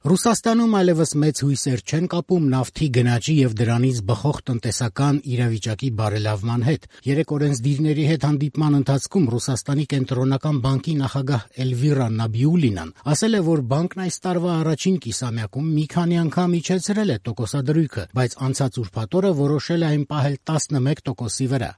Ռուսաստանում այլևս մեծ հույսեր չեն կապում նավթի գնաճի եւ դրանից բխող տնտեսական իրավիճակի բարելավման հետ։ Երեք օրենսդիրների հետ հանդիպման ընթացքում Ռուսաստանի կենտրոնական բանկի նախագահ Էլվիրա Նաբիուլինան ասել է, որ բանկն այս տարվա առաջին կիսամյակում մի քանի անգամ իջեցրել է տոկոսադրույքը, բայց անցած ուրբաթ օրը որոշել է այն պահել 11%-ի վրա։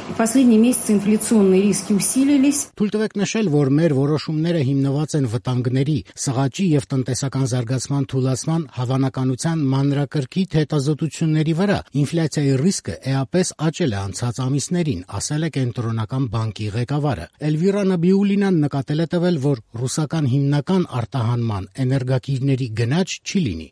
Թույլ տվեք նշել, որ մեր որոշումները հիմնված են վտանգների, սղաճի եւ տնտեսական զարգացման թուլացման հավանականության մանրակրկիտ հետազոտությունների վրա։ Ինֆլյացիայի ռիսկը էապես աճել է անցած ամիսներին, ասել է կենտրոնական բանկի ղեկավարը։ Էլվիրա Նաբիուլինան նկատել է տվել, որ ռուսական հիմնական արտահանման էներգակիրների գնաճ չի լինի։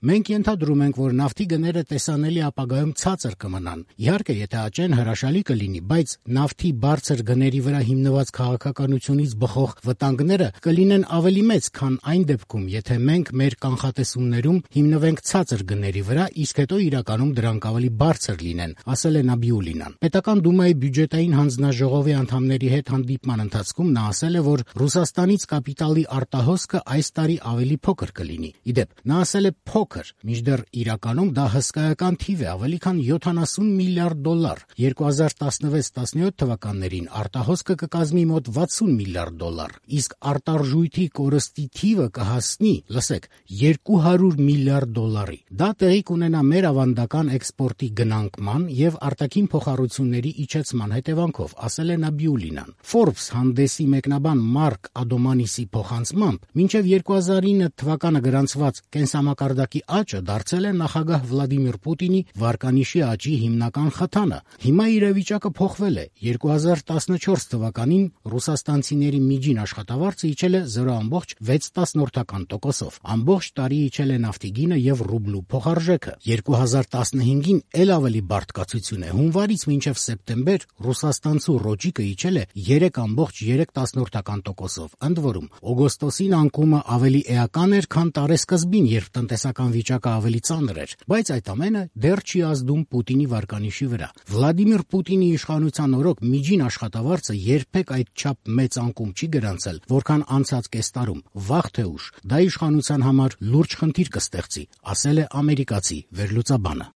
Մենք ենթադրում ենք, որ նավթի գները տեսանելի ապագայում ցածր կմնան։ Իհարկե, եթե աճեն, հրաշալի կլինի, բայց նավթի բարձր գների վրա հիմնված քաղաքականությունից բխող վտանգները կլինեն ավելի մեծ, քան այն դեպքում, եթե մենք մեր կանխատեսումներում հիմնվենք ցածր գների վրա, իսկ հետո իրականում դրանք ավելի բարձր լինեն, ասել է Նաբիուլինան։ Պետական դումայի բյուջետային հանձնաժողովի անդամների հետ հանդիպման ընթացքում նա ասել է, որ Ռուսաստանից կապիտալի արտահոսքը այս տարի ավելի փոքր կլինի։ Իդեպ, նա ասել է փոքր, մինչդեռ իրականում դա հսկայական թիվ է, ավելի քան $70 միլիարդ։ 2016-17 թվականներին արտահոսքը կկազմի մոտ $60 միլիարդ, իսկ արտարժույթի կորստի թիվը կհասնի, լսեք, $200 միլիարդ։ Դա տեղի կունենա մեր ավանդական էքսպորտի գնանկման եւ արտաքին փոխառությունների իջեցման հետևանքով, ասել է Նաբիուլինան։ Forbes հանդեսի մեկնաբան Մարկ Ադոմանիսի փոխանցմամբ, մինչև 2009 թվականը գրանցված կենսամակարդակի աճը դարձել է նախագահ Վլադիմիր Պուտինի վարկանիշի աճի հիմնական խթանը։ Հիմա իրավիճակը փոխվել է։ 2014 թվականին ռուսաստանցիների միջին աշխատավարձը իջել է 0.6%-ով։ Ամբողջ տարի իջել է նավթի գինը եւ ռուբլու փոխարժեքը։ 2015-ին էլ ավելի բարդ կացություն է։ Հունվարից մինչև սեպտեմբեր ռուսաստանցու ռոճիկը իջել է 3.3%-ով։ Ընդ որում, օգոստոսին անկումը ավելի էական էր, քան տարեսկզբին, երբ տնտեսական վիճակը ավելի ծանր էր, բայց այդ ամենը դեռ չի ազդում Պուտինի վարկանիշի վրա։ Վլադիմիր Պուտինի իշխանության օրոք միջին աշխատավարձը երբեք այդչափ մեծ անկում չի գրանցել, որքան անցած կես տարում։ Վաղ թե ուշ դա իշխանության համար լուրջ խնդիր կստեղծի, ասել է ամերիկացի վերլուծաբանը։